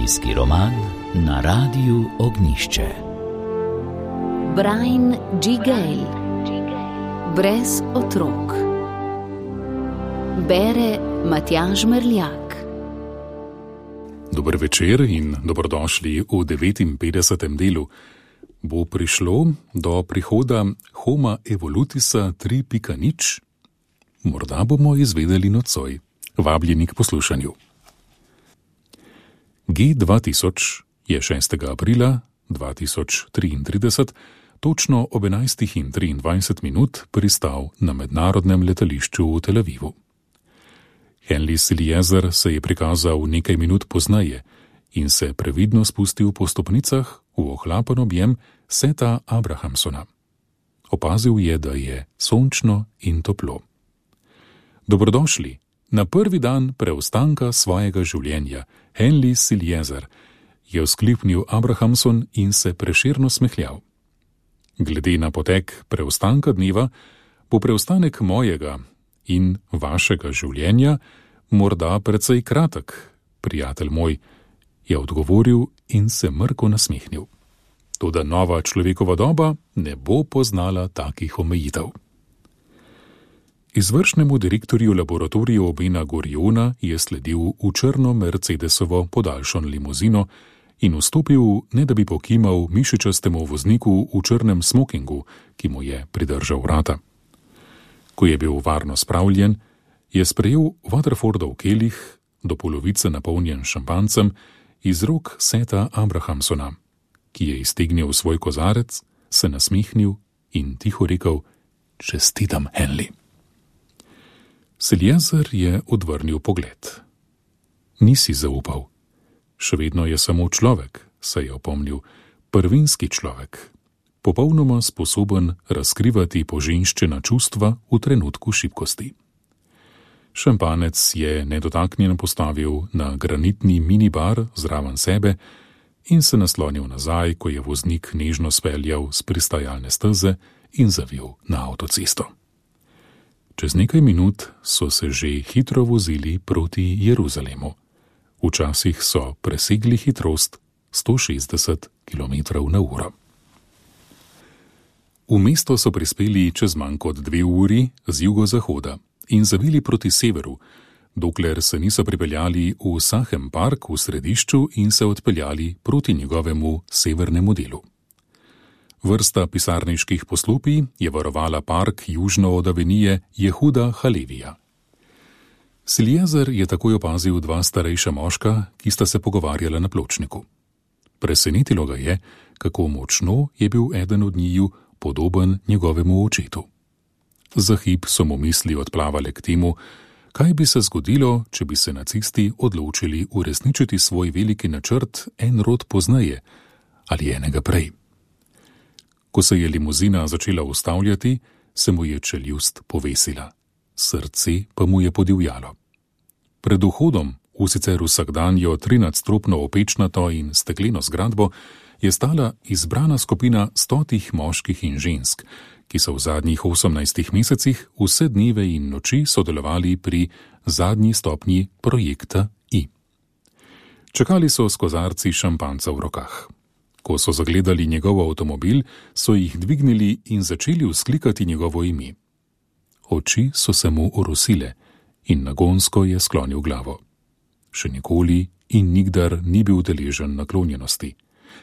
Družinski roman na Radiu Ognjišče. Brian G. Gale. Brez otrok. Bere Matjaž Merljak. Dober večer in dobrodošli v 59. delu. Bo prišlo do prihoda Homa Evolutisa 3.0? Morda bomo izvedeli nocoj. Vabljeni k poslušanju. G2000 je 6. aprila 2033 točno ob 11:23 pristal na mednarodnem letališču v Tel Avivu. Henry Siliezer se je prikazal nekaj minut pozneje in se previdno spustil po stopnicah v ohlapen objem Seta Abrahamsona. Opazil je, da je sončno in toplo. Dobrodošli na prvi dan preostanka svojega življenja, Henry Siliezer, je vzkliknil Abrahamson in se prešerno smehljal. Glede na potek preostanka dneva, bo preostanek mojega in vašega življenja morda precej kratek, prijatelj moj, je odgovoril in se mrko nasmehnil. Toda nova človekova doba ne bo poznala takih omejitev. Izvršnemu direktorju laboratorija Obena Goriona je sledil v črno Mercedesovo podaljšano limuzino in vstopil, ne da bi pokimal mišičastemu vozniku v črnem smokingu, ki mu je pridržal vrata. Ko je bil varno spravljen, je sprejel Waterfordov kelih, do polovice napolnjen šampancem, iz rok Seta Abrahamsona, ki je iztegnil svoj kozarec, se nasmehnil in tiho rekel: "Čestitam, Henry." Siliezer je odvrnil pogled. "Nisi zaupal. Še vedno je samo človek," se je opomnil, "prvinski človek, popolnoma sposoben razkrivati poženščena čustva v trenutku šibkosti." Šampanec je nedotaknjen postavil na granitni minibar zraven sebe in se naslonil nazaj, ko je voznik nežno speljal s pristajalne steze in zavil na avtocesto. Čez nekaj minut so se že hitro vozili proti Jeruzalemu. Včasih so presegli hitrost 160 km/h. V mesto so prispeli čez manj kot 2 uri z jugozahoda in zavili proti severu, dokler se niso pripeljali v Sahem park v središču in se odpeljali proti njegovemu severnemu delu. Vrsta pisarniških poslopij je varovala park južno od avenije Jehuda Halevija. Siliezer je takoj opazil 2 starejša moška, ki sta se pogovarjala na pločniku. Presenetilo ga je, kako močno je bil eden od njiju podoben njegovemu očetu. Za hip so mu misli odplavale k temu, kaj bi se zgodilo, če bi se nacisti odločili uresničiti svoj veliki načrt en rod pozneje ali enega prej. Ko se je limuzina začela ustavljati, se mu je čeljust povesila, srce pa mu je podivjalo. Pred vhodom v sicer vsakdanjo 13-stropno opečnato in stekleno zgradbo je stala izbrana skupina 100 moških in žensk, ki so v zadnjih 18 mesecih vse dneve in noči sodelovali pri zadnji stopnji projekta I. Čakali so s kozarci šampanca v rokah. Ko so zagledali njegov avtomobil, so jih dvignili in začeli vzklikati njegovo ime. Oči so se mu orosile in nagonsko je sklonil glavo. Še nikoli in nikdar ni bil deležen naklonjenosti.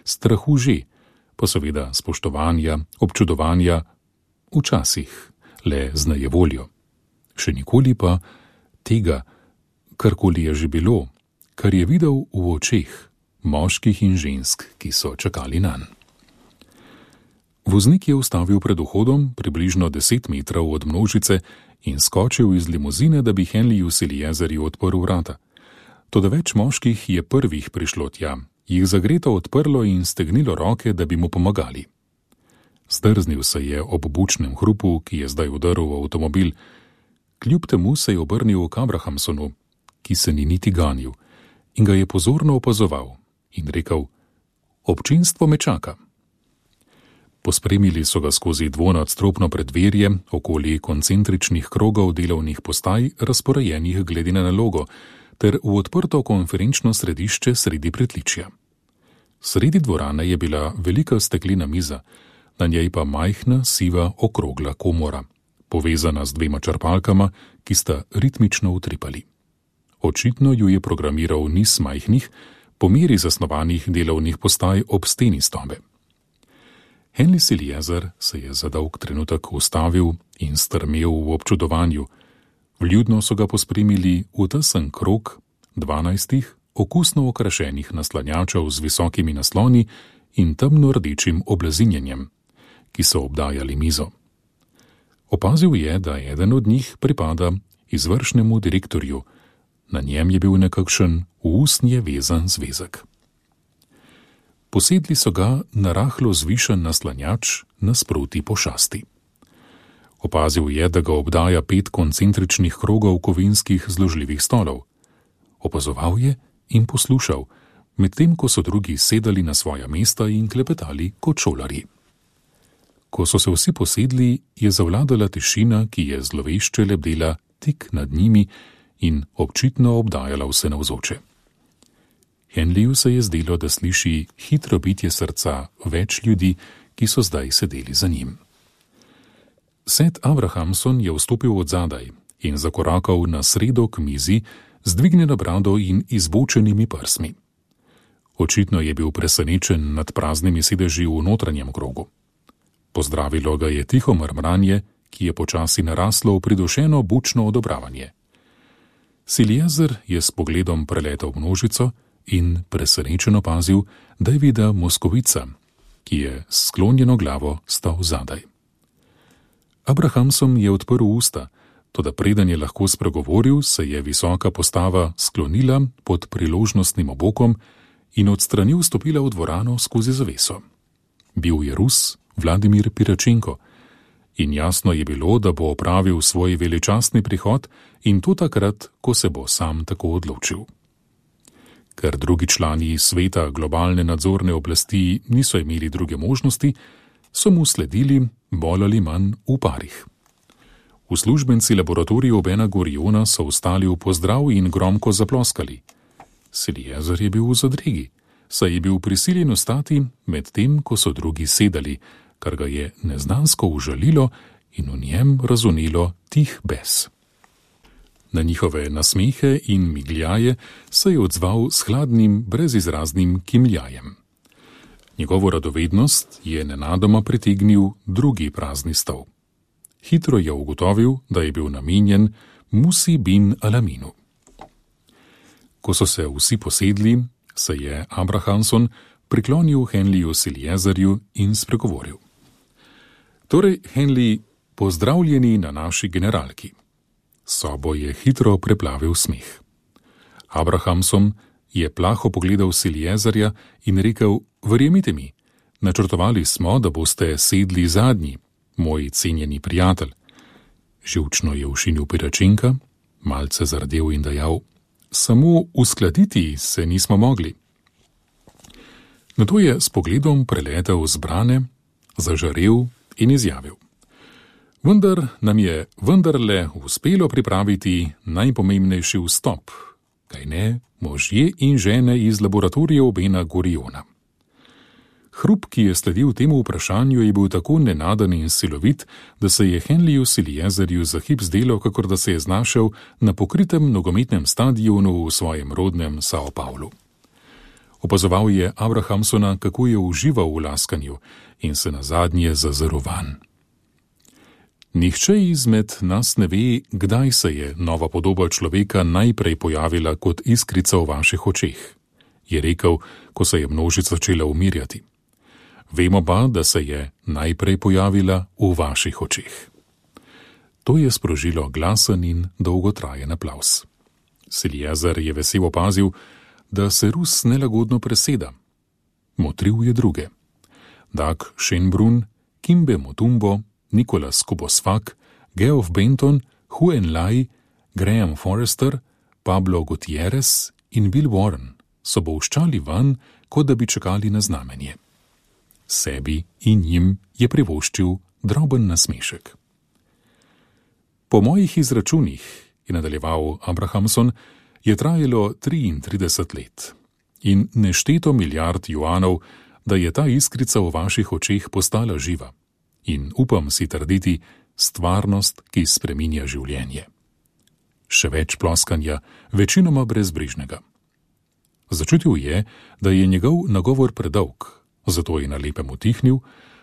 Strahu že, pa seveda spoštovanja, občudovanja, včasih le z nejevoljo. Še nikoli pa tega, karkoli je že bilo, kar je videl v očeh moških in žensk, ki so čakali nanj. Voznik je ustavil pred vhodom približno 10 metrov od množice in skočil iz limuzine, da bi Henryju Siliezerju odprl vrata. Toda več moških je prvih prišlo tja, jih zagreto odprlo in stegnilo roke, da bi mu pomagali. Zdrznil se je ob bučnem hrupu, ki je zdaj vdrl v avtomobil. Kljub temu se je obrnil k Abrahamsonu, ki se ni niti ganil, in ga je pozorno opazoval in rekel: "Občinstvo me čaka." Pospremili so ga skozi dvonadstropno preddverje okoli koncentričnih krogov delovnih postaj, razporejenih glede na nalogo, ter v odprto konferenčno središče sredi pritličja. Sredi dvorane je bila velika steklena miza, na njej pa majhna, siva, okrogla komora, povezana z 2 črpalkama, ki sta ritmično utripali. Očitno ju je programiral niz majhnih, po meri zasnovanih delovnih postaj ob steni sobe. Henry Siljezer se je za dolg trenutek ustavil in strmel v občudovanju. Vljudno so ga pospremili v tesen krog 12 okusno okrašenih naslanjačev z visokimi nasloni in temno-rdečim oblazinjenjem, ki so obdajali mizo. Opazil je, da eden od njih pripada izvršnemu direktorju, na njem je bil nekakšen v usnje vezan zvezek. Posedli so ga na rahlo zvišen naslanjač nasproti pošasti. Opazil je, da ga obdaja 5 koncentričnih krogov kovinskih zložljivih stolov. Opazoval je in poslušal, medtem ko so drugi sedali na svoja mesta in klepetali kot šolarji. Ko so se vsi posedli, je zavladala tišina, ki je zlovešče lebdela tik nad njimi in občitno obdajala vse navzoče. Henryju se je zdelo, da sliši hitro bitje srca več ljudi, ki so zdaj sedeli za njim. Seth Abrahamson je vstopil od zadaj in zakorakal na sredo k mizi z dvignjeno brado in izbočenimi prsmi. Očitno je bil presenečen nad praznimi sedeži v notranjem krogu. Pozdravilo ga je tiho mrmranje, ki je počasi naraslo v pridušeno bučno odobravanje. Siljezer je s pogledom preletel množico in presenečen opazil, da je videl Moskovica, ki je s sklonjeno glavo stal zadaj. Abrahamson je odprl usta, toda preden je lahko spregovoril, se je visoka postava sklonila pod priložnostnim obokom in od strani vstopila v dvorano skozi zaveso. Bil je Rus Vladimir Piračenko in jasno je bilo, da bo opravil svoj veličastni prihod in to takrat, ko se bo sam tako odločil. Ker drugi člani sveta globalne nadzorne oblasti niso imeli druge možnosti, so mu sledili bolj ali manj v parih. Uslužbenci laboratorija Ben Guriona so vstali v pozdrav in gromko zaploskali. Siljezer je bil v zadregi, saj je bil prisiljen ostati med tem, ko so drugi sedali, kar ga je neznansko užalilo in v njem razonilo tih bes. Na njihove nasmehe in migljaje se je odzval s hladnim, brezizraznim kimljajem. Njegovo radovednost je nenadoma pritegnil drugi prazni stol. Hitro je ugotovil, da je bil namenjen Musi bin Alaminu. Ko so se vsi posedli, se je Abrahamson priklonil Henryju Siljezerju in spregovoril. Torej, Henry, pozdravljeni na naši generalki. Sobo je hitro preplavil smeh. Abrahamson je plaho pogledal Siljezerja in rekel, verjemite mi, načrtovali smo, da boste sedli zadnji, moj cenjeni prijatelj. Živčno je ušinil Piračenka, malce zardel in dejal, samo uskladiti se nismo mogli. Nato je s pogledom preletel zbrane, zažarel in izjavil. Vendar nam je vendarle uspelo pripraviti najpomembnejši vstop, kajne, možje in žene iz laboratorijev Ben Guriona. Hrup, ki je sledil temu vprašanju, je bil tako nenaden in silovit, da se je Henryju Siljezerju za hip zdelo, kakor da se je znašel na pokritem nogometnem stadionu v svojem rodnem Sao Paulu. Opazoval je Abrahamsona, kako je užival v laskanju in se nazadnje zazrl vanj. Nihče izmed nas ne ve, kdaj se je nova podoba človeka najprej pojavila kot iskrica v vaših očeh, je rekel, ko se je množica začela umirjati. Vemo pa, da se je najprej pojavila v vaših očeh. To je sprožilo glasen in dolgotrajen aplavz. Siljezer je vesel opazil, da se Rus nelagodno preseda. Motril je druge. Dag Schönbrunn, Kimbe Motumbo, Nicholas Kubosfak, Geoff Benton, Hu Enlai, Graham Forrester, Pablo Gutierrez in Bill Warren so bolščali van, kot da bi čakali na znamenje. Sebi in njim je privoščil droben nasmešek. Po mojih izračunih, je nadaljeval Abrahamson, je trajalo 33 let. In nešteto milijard juanov, da je ta iskrica v vaših očeh postala živa. In upam si trditi, stvarnost, ki spreminja življenje. Še več ploskanja, večinoma brezbrižnega. Začutil je, da je njegov nagovor predolg, zato je na lepem utihnil,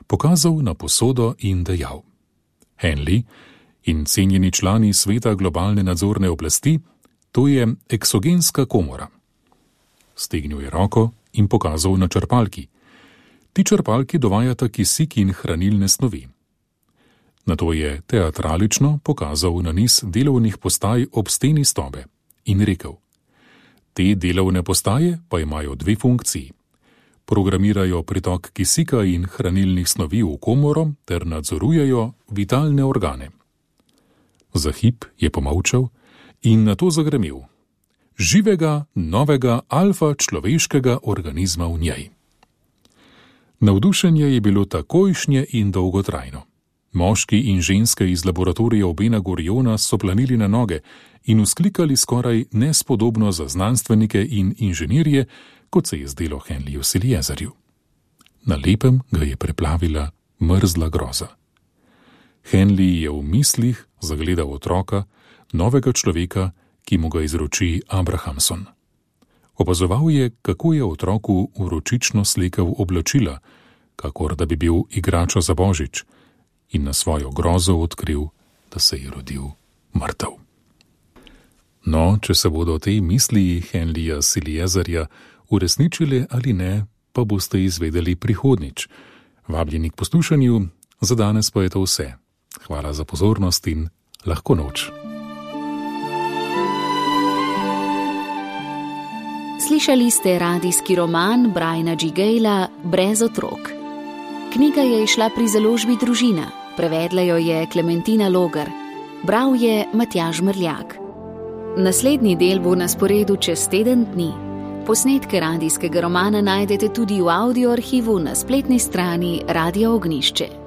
pokazal na posodo in dejal: Henley in cenjeni člani sveta globalne nadzorne oblasti, to je eksogenska komora. Stegnil je roko in pokazal na črpalki. Ti črpalki dovajata kisik in hranilne snovi. Nato je teatralično pokazal na niz delovnih postaj ob steni stobe in rekel: Te delovne postaje pa imajo dve funkciji. Programirajo pritok kisika in hranilnih snovi v komoro ter nadzorujejo vitalne organe. Za hip je pomolčal in nato zagremel: Živega, novega, alfa človeškega organizma v njej. Navdušenje je bilo takojšnje in dolgotrajno. Moški in ženske iz laboratorija Bena Guriona so planili na noge in vzklikali skoraj nespodobno za znanstvenike in inženirje, kot se je zdelo Henleyju Siliezerju. Na lepem ga je preplavila mrzla groza. Henley je v mislih zagledal otroka, novega človeka, ki mu ga izroči Abrahamson. Opazoval je, kako je otroku vročično slekel oblačila, kakor da bi bil igrača za božič, in na svojo grozo odkril, da se je rodil mrtev. No, če se bodo te misli Henleyja Siliezerja uresničile ali ne, pa boste izvedeli prihodnjič. Vabljeni k poslušanju, za danes pa je to vse. Hvala za pozornost in lahko noč. Slišali ste radijski roman Briana G. Gayla Brez otrok. Knjiga je izšla pri založbi Družina, prevedla jo je Klementina Logar, bral je Matjaž Mrljak. Naslednji del bo na sporedu čez teden dni. Posnetke radijskega romana najdete tudi v audio arhivu na spletni strani Radia Ognjišče.